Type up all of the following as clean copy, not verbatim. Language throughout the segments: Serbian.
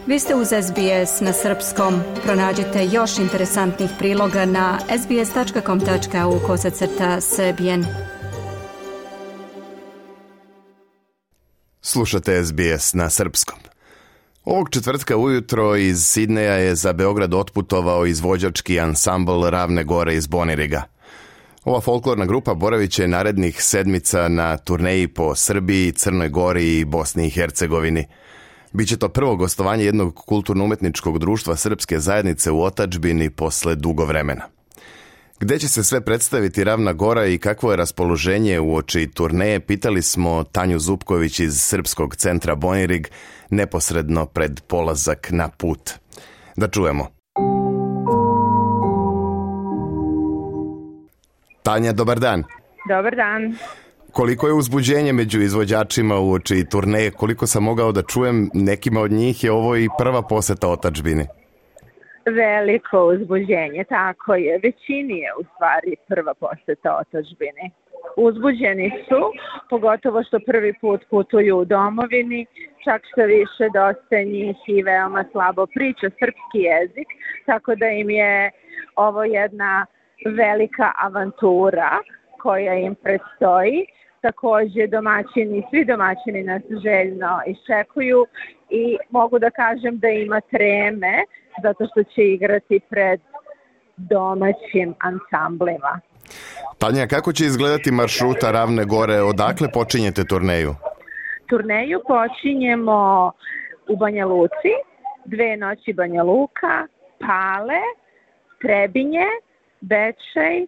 Vi ste uz SBS na srpskom. Pronađite još interesantnih priloga na sbs.com.au/srbijen. Slušate SBS na srpskom. Ovog četvrtka ujutro iz Sidneja je za Beograd otputovao izvođački ansambl Ravne Gore iz Boniriga. Ova folklorna grupa boravit će narednih sedmica na turneji po Srbiji, Crnoj Gori i Bosni i Hercegovini. Biće to prvo gostovanje jednog kulturno-umetničkog društva srpske zajednice u otadžbini posle dugo vremena. Gde će se sve predstaviti Ravna Gora i kakvo je raspoloženje uoči turneje, pitali smo Tanju Zupković iz Srpskog centra Bonirig neposredno pred polazak na put. Da čujemo. Tanja, dobar dan. Dobar dan. Koliko je uzbuđenje među izvođačima uoči turneje? Koliko sam mogao da čujem, nekima od njih je ovo i prva poseta otadžbini. Veliko uzbuđenje, tako je. Većini je u stvari prva poseta otadžbini. Uzbuđeni su, pogotovo što prvi put putuju u domovini, čak što više dosta njih i veoma slabo priča srpski jezik, tako da im je ovo jedna velika avantura koja im predstoji. Također svi domaćini nas željno iščekuju i mogu da kažem da ima treme zato što će igrati pred domaćim ansamblima. Tanja, kako će izgledati maršruta Ravne Gore? Odakle počinjete turneju? Turneju počinjemo u Banja Luci, 2 noći Banja Luka, Pale, Trebinje, Bečej,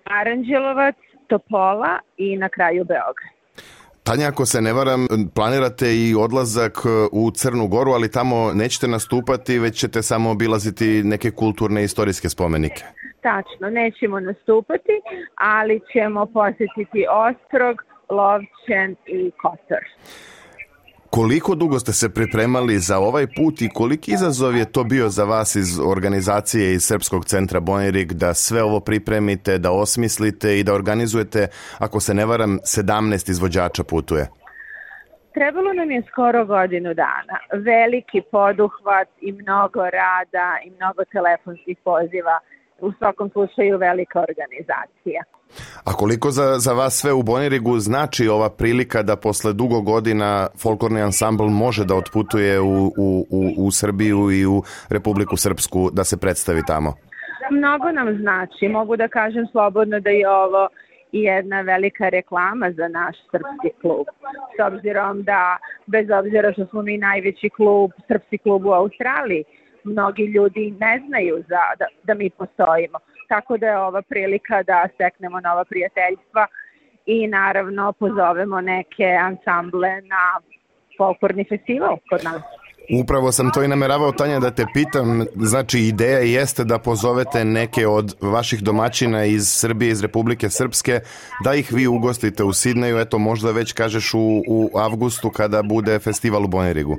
Aranđelovac, Topola i na kraju Beograd. Tanja, ako se ne varam, planirate i odlazak u Crnu Goru, ali tamo nećete nastupati, već ćete samo obilaziti neke kulturne i istorijske spomenike. Tačno, nećemo nastupati, ali ćemo posjetiti Ostrog, Lovćen i Kotor. Koliko dugo ste se pripremali za ovaj put i koliki izazov je to bio za vas iz organizacije iz Srpskog centra Bonirig da sve ovo pripremite, da osmislite i da organizujete, ako se ne varam, 17 izvođača putuje? Trebalo nam je skoro godinu dana. Veliki poduhvat i mnogo rada i mnogo telefonskih poziva. U svakom slučaju velika organizacija. A koliko za vas sve u Bonirigu znači ova prilika da posle dugo godina folklorni ansambl može da otputuje u Srbiju i u Republiku Srpsku da se predstavi tamo? Mnogo nam znači. Mogu da kažem slobodno da je ovo jedna velika reklama za naš srpski klub. S obzirom da, bez obzira što smo mi najveći klub, srpski klub u Australiji, mnogi ljudi ne znaju da mi postojimo. Tako da je ova prilika da steknemo nova prijateljstva i naravno pozovemo neke ansamble na folklorni festival kod nas. Upravo sam to i nameravao, Tanja, da te pitam. Znači, ideja jeste da pozovete neke od vaših domaćina iz Srbije, iz Republike Srpske, da ih vi ugostite u Sidneju, eto možda već kažeš u avgustu kada bude festival u Bonirigu.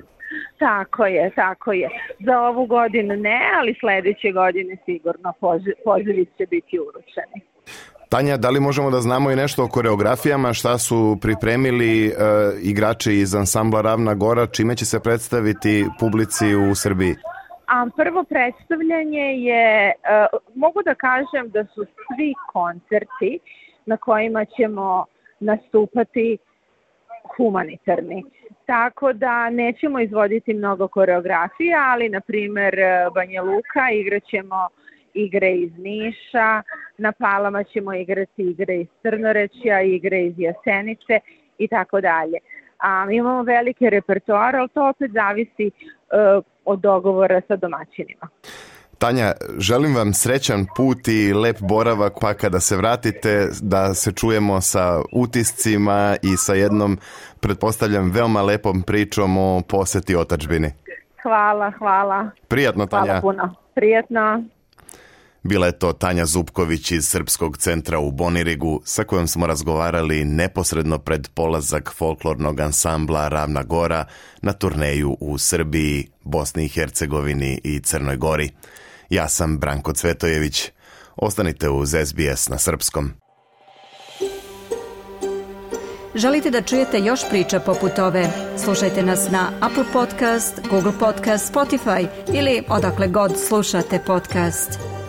Tako je. Za ovu godinu ne, ali sljedeće godine sigurno pozivi će biti uručeni. Tanja, da li možemo da znamo i nešto o koreografijama, šta su pripremili igrači iz ansambla Ravna Gora, čime će se predstaviti publici u Srbiji? Prvo predstavljanje je, mogu da kažem da su svi koncerti na kojima ćemo nastupati humanitarni. Tako da nećemo izvoditi mnogo koreografija, ali na primjer Banja Luka igraćemo igre iz Niša, na Palama ćemo igrati igre iz Crnorećja, igre iz Jasenice i tako dalje. Imamo velike repertoare, ali to opet zavisi od dogovora sa domaćinima. Tanja, želim vam srećan put i lep boravak, pa kada se vratite da se čujemo sa utiscima i sa jednom, pretpostavljam, veoma lepom pričom o poseti otadžbini. Hvala. Prijatno, Tanja. Hvala puno. Prijatno. Bila je to Tanja Zupković iz Srpskog centra u Bonirigu, sa kojom smo razgovarali neposredno pred polazak folklornog ansambla Ravna Gora na turneju u Srbiji, Bosni i Hercegovini i Crnoj Gori. Ja sam Branko Cvetojević. Ostanite uz SBS na srpskom. Želite da čujete još priča poput ove? Slušajte nas na Apple Podcast, Google Podcast, Spotify ili odakle god slušate podcast.